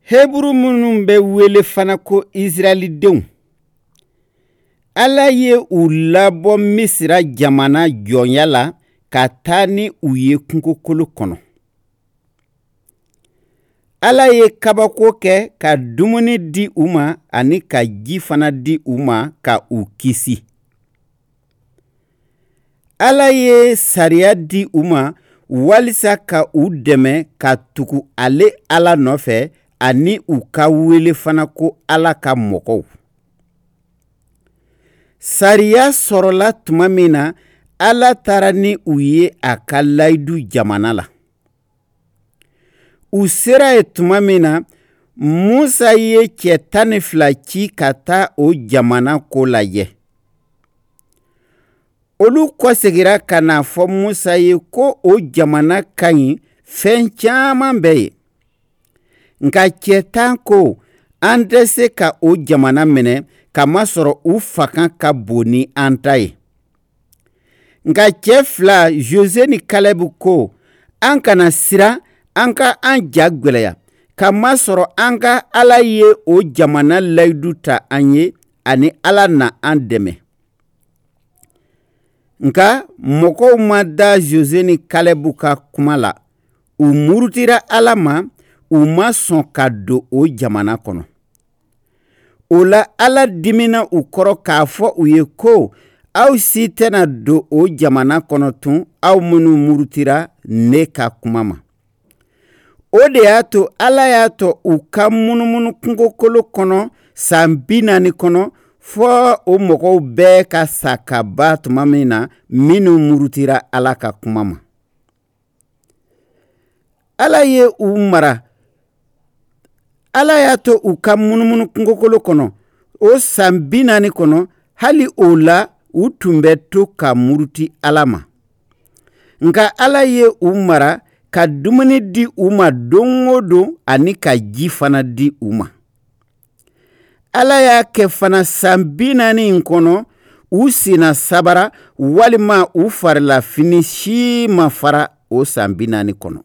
Heburu minnu bɛ wele fana ko Israɛlidenw, Ala ye u labɔ Misira jamana jɔnya la ka taa ni u ye kungokolo kɔnɔ. Ala ye kabako kɛ ka dumuni di u ma ani ka ji fana di u ma ka u kisi. Ala ye sariya di u ma walisa ka u dɛmɛ ka tugu ale Ala nɔfɛ ani u ka wele fana ko Ala ka mɔgɔw. Sariya sɔrɔla tuma min na, Ala taara ni u ye a ka layidu jamana la. U sera yen tuma min na, Musa ye cɛ 12 ci ka taa o jamana ko lajɛ. Olu kɔsegira ka n'a fɔ Musa ye ko o jamana ka ɲi, fɛn caman bɛ yen. Nka cɛ 10 ko, an tɛ se ka o jamana minɛ, kamasɔrɔ u fanga ka bon ni an ta ye. Nka cɛ 2, Jose ni Kalɛbu ko, an kana siran, an ka an ja gwɛlɛya, kamasɔrɔ an ka Ala ye o jamana layidu ta an ye, ani Ala na an dɛmɛ. Nka mɔgɔw ma da Jose ni Kalɛbu ka kuma la. U murutira Ala ma, u ma sɔn ka don o jamana kɔnɔ. O la Ala dimina u kɔrɔ k'a fɔ u ye ko, aw si tɛna don o jamana kɔnɔ tun, aw minnu murutira ne ka kuma ma. O de y'a to Ala y'a to u ka munumunu kungokolo kɔnɔ san 40 kɔnɔ, fɔ o mɔgɔw bɛɛ ka sa ka ban tuma min na, minnu murutira Ala ka kuma ma. Ala ye u mara. Ala y'a to u ka munumunu kungokolo kɔnɔ o san 40 kɔnɔ, hali o la u tun bɛ to ka muruti Ala ma. Nka Ala ye u mara ka dumuni di u ma don o don ani ka ji fana di u ma. Ala y'a kɛ fana san 40 in kɔnɔ, u senna sabara walima u farilafini si ma fara o san 40 kɔnɔ.